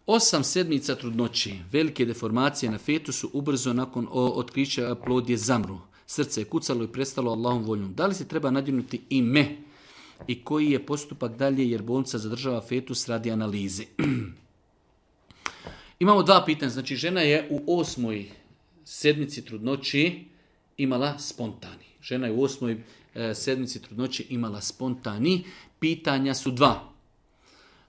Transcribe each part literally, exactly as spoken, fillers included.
Osam sedmica trudnoće, velike deformacije na fetusu, ubrzo nakon otkrića plod je zamru. Srce je kucalo i prestalo Allahom voljom. Da li se treba nadjenuti ime i koji je postupak dalje jer bolnica zadržava fetus radi analize? Imamo dva pitanja. Znači, žena je u osmoj sedmici trudnoći imala spontani. Žena je u osmoj e, sedmici trudnoći imala spontani. Pitanja su dva.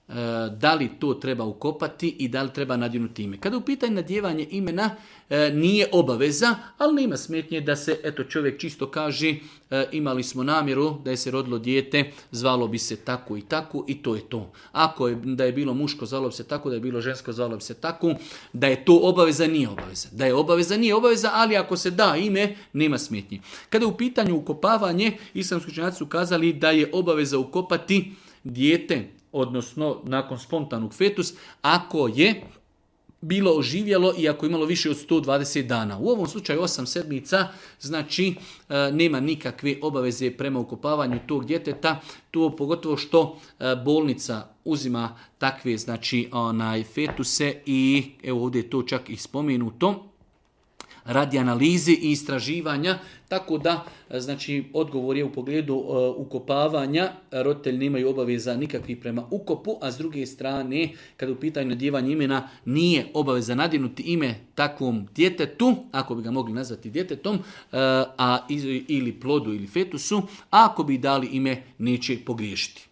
E, da li to treba ukopati i da li treba nadjenuti ime. Kada u pitanju nadjevanje imena e, nije obaveza, ali nema smetnje da se eto čovjek čisto kaže e, imali smo namjeru da je se rodilo dijete, zvalo bi se tako i tako i to je to. Ako je da je bilo muško, zvalo bi se tako, da je bilo žensko, zvalo bi se tako, da je to obaveza, nije obaveza. Da je obaveza, nije obaveza, ali ako se da ime, nema smetnje. Kada je u pitanju ukopavanje, islamski učenjaci su kazali da je obaveza ukopati dijete, odnosno nakon spontanog fetus, ako je bilo oživjelo i ako je imalo više od sto dvadeset dana. U ovom slučaju osam sedmica, znači e, nema nikakve obaveze prema ukopavanju tog djeteta, to pogotovo što e, bolnica uzima takve znači onaj fetuse i evo ovdje je to čak i spomenuto radi analize i istraživanja, tako da znači odgovor je u pogledu uh, ukopavanja, roditelji nemaju obaveza nikakvih prema ukopu, a s druge strane, kada u pitanju nadjevanja imena, nije obaveza nadjenuti ime takvom djetetu, ako bi ga mogli nazvati djetetom, uh, a ili plodu ili fetusu, a ako bi dali ime neće pogriješiti.